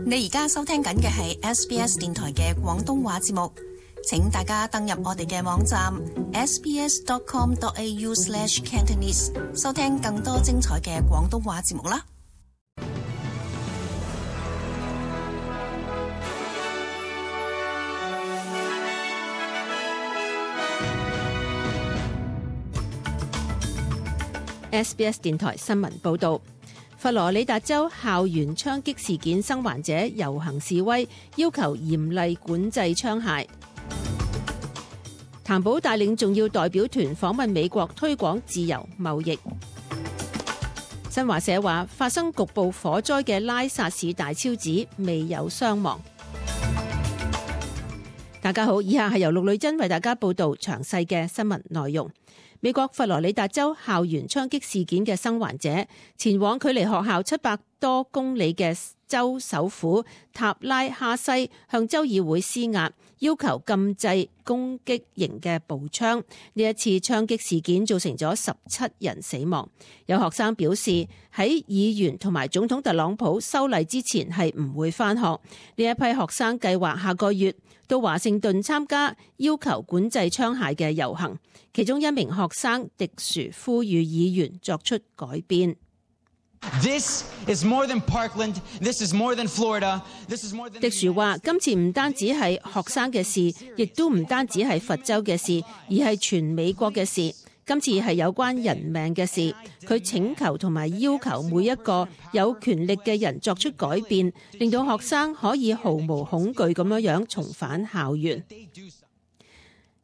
你而家收聽緊嘅係 SBS 電台嘅廣東話節目，請大家登入我哋嘅網站 sbs.com.au/cantonese 收聽更多精彩嘅廣東話節目啦。SBS 電台新聞報導。佛羅里達州校園槍擊事件生還者遊行示威，要求嚴厲管制槍械。譚寶帶領重要代表團訪問美國，推廣自由貿易。新華社話，發生局部火災嘅拉薩市大昭寺未有傷亡。大家好，以下係由陸女珍為大家報道詳細嘅新聞內容。美國佛羅里達州校園槍擊事件嘅生還者前往距離學校700多公里嘅州首府塔拉哈西，向州議會施壓，要求禁制攻擊型嘅步槍。呢一次槍擊事件造成咗17人死亡。有學生表示，喺議員同埋總統特朗普修例之前係唔會返學。呢一批學生計劃下個月到華盛頓參加要求管制槍械嘅遊行。其中一名學生迪殊呼籲議員作出改變。This is more than Parkland. This is more than Florida. This is more than. 迪殊話：今次唔單止係學生嘅事，亦都唔單止係佛州嘅事，而係全美國嘅事。今次係有關人命嘅事。佢請求同埋要求每一個有權力嘅人作出改變，令到學生可以毫無恐懼咁樣重返校園。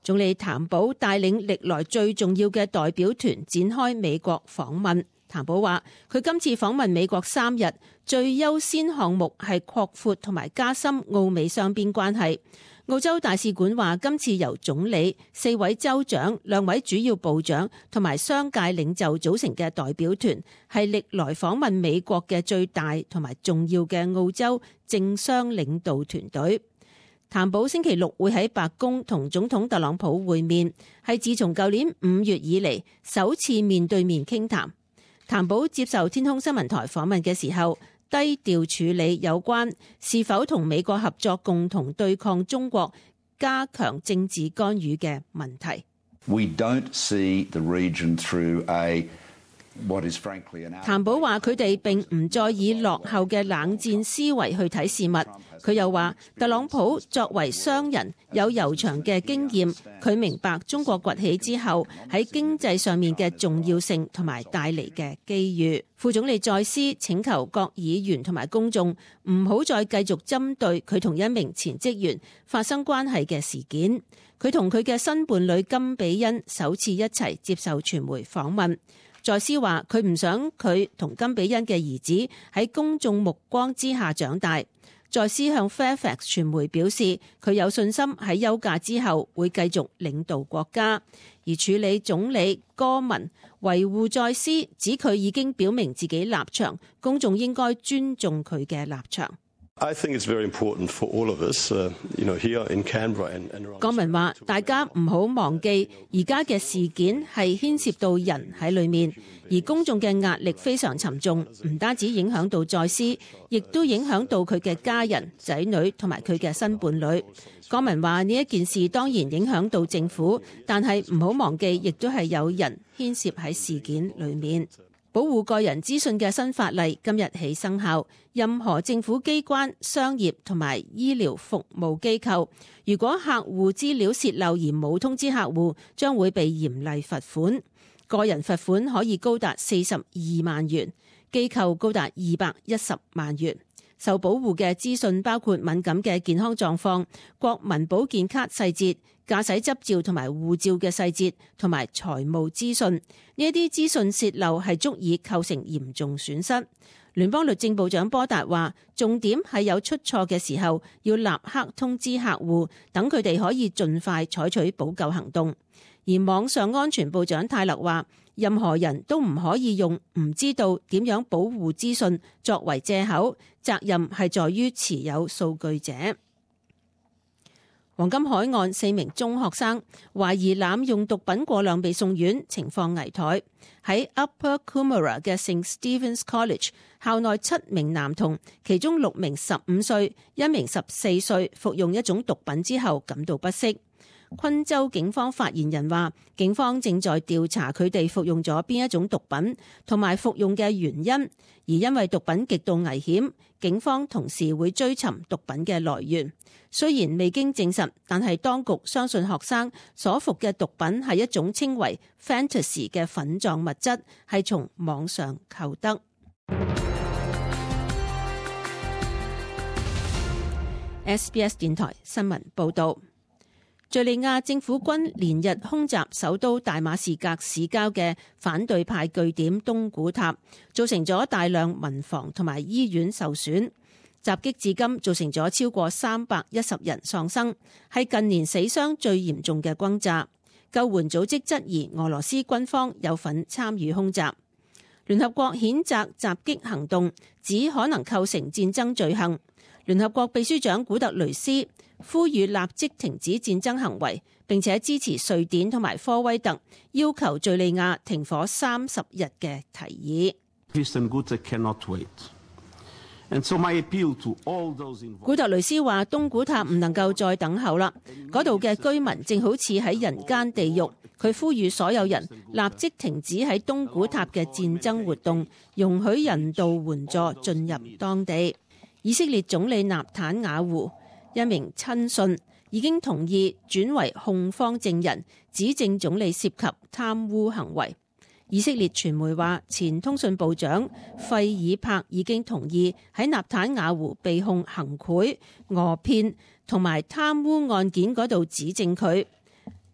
總理譚寶帶領歷來最重要嘅代表團展開美國訪問。譚寶話：佢今次訪問美國3日，最優先項目係擴闊同埋加深澳美雙邊關係。澳洲大使館話，今次由總理、4位州長、2位主要部長同埋商界領袖組成嘅代表團，係歷來訪問美國嘅最大同埋重要嘅澳洲政商領導團隊。譚寶星期6會喺白宮同總統特朗普會面，係自從舊年5月以嚟首次面對面傾談。譚寶接受天空新聞台訪問嘅時候，低調處理有關是否同美國合作共同對抗中國、加強政治干預嘅問題。We don't see the region through譚寶話：佢哋並唔再以落後嘅冷戰思維去睇事物。佢又話，特朗普作為商人有悠長嘅經驗，佢明白中國崛起之後喺經濟上面嘅重要性同埋帶嚟嘅機遇。副總理再斯請求各議員同埋公眾唔好再繼續針對佢同一名前職員發生關係嘅事件。佢同佢嘅新伴侶金比恩首次一齊接受傳媒訪問。再斯話佢唔想佢同金比恩嘅兒子喺公眾目光之下長大。再斯向 Fairfax 傳媒表示，佢有信心喺休假之後會繼續領導國家。而處理總理戈文維護再斯，指佢已經表明自己立場，公眾應該尊重佢嘅立場。I think it's very important for all of us, here in Canberra and 郭文話：大家唔好忘記，而家嘅事件係牽涉到人喺裏面，而公眾嘅壓力非常沉重，唔單止影響到再斯，亦都影響到佢嘅家人、仔女同埋佢嘅新伴侶。郭文話：呢一件事當然影響到政府，但係唔好忘記，亦都係有人牽涉喺事件裏面。保護個人資訊嘅新法例今日起生效，任何政府機關、商業同埋醫療服務機構，如果客戶資料洩漏而冇通知客戶，將會被嚴厲罰款。個人罰款可以高達42萬元，機構高達210萬元。受保護嘅資訊包括敏感嘅健康狀況、國民保健卡細節、駕駛執照同埋護照嘅細節，同埋財務資訊。呢一啲資訊洩漏係足以構成嚴重損失。聯邦律政部長波達話，重點係有出錯嘅時候要立刻通知客戶，等佢哋可以盡快採取補救行動。而網上安全部長泰勒話，任何人都唔可以用唔知道點樣保護資訊作為藉口，責任係在於持有數據者。黃金海岸4名中學生懷疑濫用毒品過量被送院，情況危殆。喺 Upper Coomera 嘅 St. Stephen's College 校內7名男童，其中6名15歲、1名14歲服用一種毒品之後感到不適。昆州警方發言人話，警方正在調查佢哋服用咗邊一種毒品同埋服用嘅原因，而因為毒品極度危險，警方同時會追尋毒品嘅來源。雖然未經證實，但係當局相信學生所服嘅毒品係一種稱為 Fantasy 嘅粉狀物質，係從網上購得。SBS 電台新聞報導。敘利亞政府軍連日空襲首都大馬士革市郊嘅反對派據點東古塔，造成咗大量民房同埋醫院受損。襲擊至今造成咗超過310人喪生，係近年死傷最嚴重嘅轟炸。救援組織質疑俄羅斯軍方有份參與空襲。聯合國譴責襲擊行動，指可能構成戰爭罪行。聯合國秘書長古特雷斯呼籲立即停止戰爭行為，並且支持瑞典同埋科威特要求敘利亞停火30日嘅提議。古特雷斯話：東古塔唔能夠再等候啦，嗰度嘅居民正好似喺人間地獄。佢呼籲所有人立即停止喺東古塔嘅戰爭活動，容許人道援助進入當地。以色列總理納坦雅胡一名親信已經同意轉為控方證人，指證總理涉及貪污行為。以色列傳媒話，前通訊部長費爾柏已經同意喺納坦雅胡被控行賄、訛騙同埋貪污案件嗰度指證佢。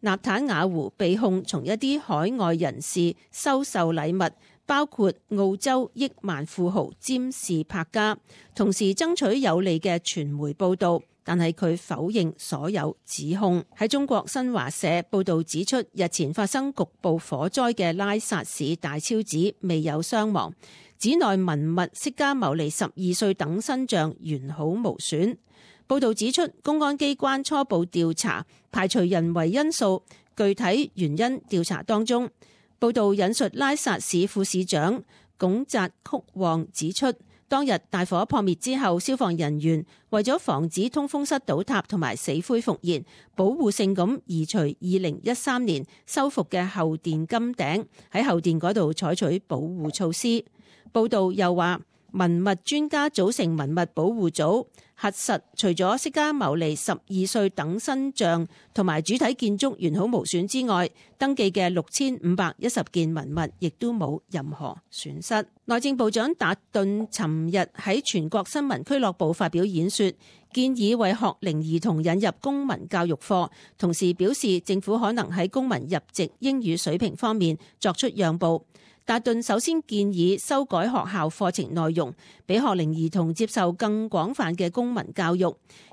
納坦雅胡被控從一啲海外人士收受禮物，包括澳洲億萬富豪詹士柏加，同時爭取有利嘅傳媒報導。但係佢否認所有指控。喺中國新華社報導指出，日前發生局部火災嘅拉薩市大昭寺未有傷亡，寺內文物釋迦牟尼12歲等身像完好無損。報導指出，公安機關初步調查排除人為因素，具體原因調查當中。報導引述拉薩市副市長龔澤曲旺指出，當日大火撲滅之後，消防人員為咗防止通風室倒塌同埋死灰復燃，保護性咁移除2013年修復嘅後殿金頂，喺後殿嗰度採取保護措施。報道又話，文物專家組成文物保護組，核實除咗釋迦牟尼12歲等身像同埋主體建築完好無損之外，登記嘅6510件文物亦都冇任何損失。內政部長達頓尋日喺全國新聞俱樂部發表演說，建議為學齡兒童引入公民教育課，同時表示政府可能喺公民入籍英語水平方面作出讓步。達頓首先建議修改學校課程內容，俾學齡兒童接受更廣泛嘅公民教育，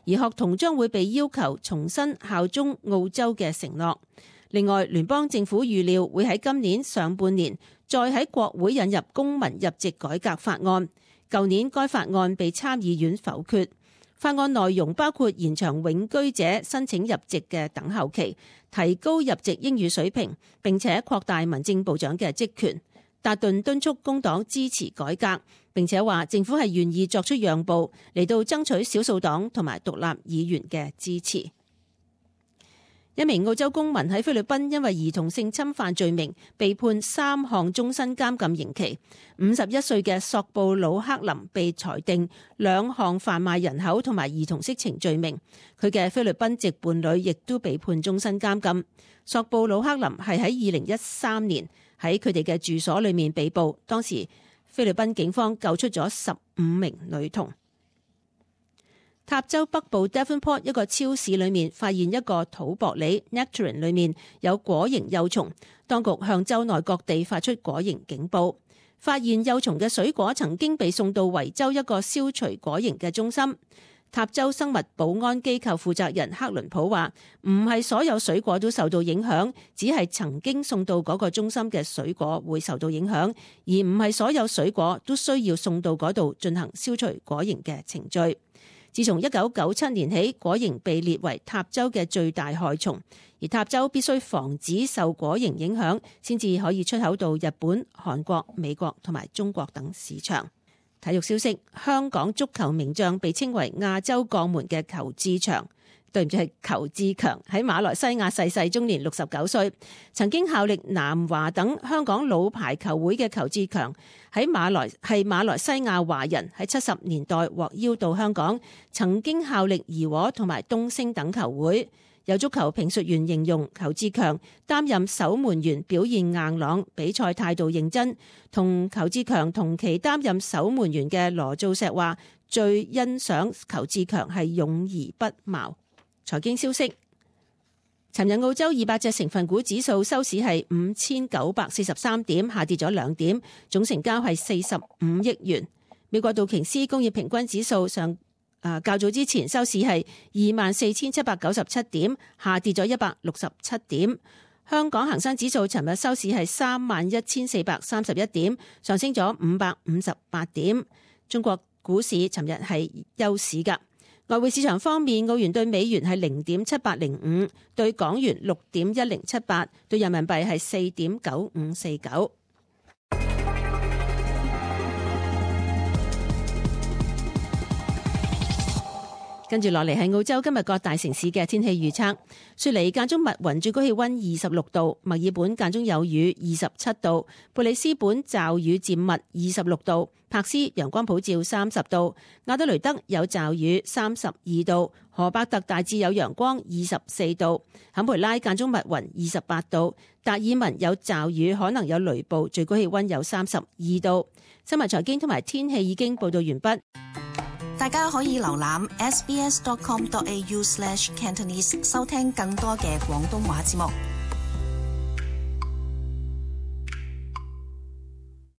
而學童將會被要求重新效忠澳洲嘅承諾。另外，聯邦政府預料會喺今年上半年再喺國會引入公民入籍改革法案。舊年該法案被參議院否決。法案內容包括延長永居者申請入籍嘅等候期，提高入籍英語水平，並且擴大民政部長嘅職權。達頓敦促工黨支持改革，並且話政府係願意作出讓步嚟到爭取少數黨同埋獨立議員嘅支持。一名澳洲公民喺菲律賓因為兒童性侵犯罪名被判3項終身監禁刑期。51歲嘅索布魯克林被裁定2項販賣人口同埋兒童色情罪名，佢嘅菲律賓籍伴侶亦都被判終身監禁。索布魯克林係喺2013年喺佢哋嘅住所裏面被捕，當時菲律賓警方救出咗15名女童。塔州北部 Devonport 一個超市裏面發現一個土薄梨 nectarine 裏面有果蠅幼蟲，當局向州內各地發出果蠅警報。發現幼蟲嘅水果曾經被送到維州一個消除果蠅嘅中心。塔州生物保安機構負責人克倫普話，唔係所有水果都受到影響，只係曾經送到嗰個中心嘅水果會受到影響，而唔係所有水果都需要送到嗰度進行消除果蠅嘅程序。自從1997年起，果蠅被列為塔州嘅最大害蟲，而塔州必須防止受果蠅影響，先至可以出口到日本、韓國、美國同埋中國等市場。體育消息，香港足球名將被稱為亞洲鋼門嘅裘志強，對唔住係裘志強，喺馬來西亞逝世，終年69歲。曾經效力南華等香港老牌球會嘅裘志強係馬來西亞華人，喺70年代獲邀到香港，曾經效力怡和同埋東昇等球會。有足球評述員形容裘志強擔任守門員表現硬朗，比賽態度認真。同裘志強同期擔任守門員嘅羅造石話，最欣賞裘志強係勇而不矛。財經消息，尋日澳洲200隻成分股指數收市係5943點，下跌咗2點，總成交係45億元。美國道瓊斯工業平均指數較早之前收市係24,797點，下跌咗167點。香港恒生指數尋日收市係31,431點，上升咗558點。中國股市尋日係休市㗎。外匯市場方面，澳元對美元係0.7805，對港元6.1078，對人民幣係4.9549。跟住落嚟係澳洲今日各大城市嘅天氣預測。雪梨間中密雲，最高氣溫26度；墨爾本間中有雨，27度；貝里斯本驟雨漸密，26度；柏斯陽光普照，30度；亞德雷德有驟雨，32度；荷伯特大致有陽光，24度；坎培拉間中密雲，28度；達爾文有驟雨，可能有雷暴，最高氣溫有32度。新聞財經同埋天氣已經報道完畢。大家可以瀏覽 sbs.com.au/cantonese 收聽更多嘅廣東話節目。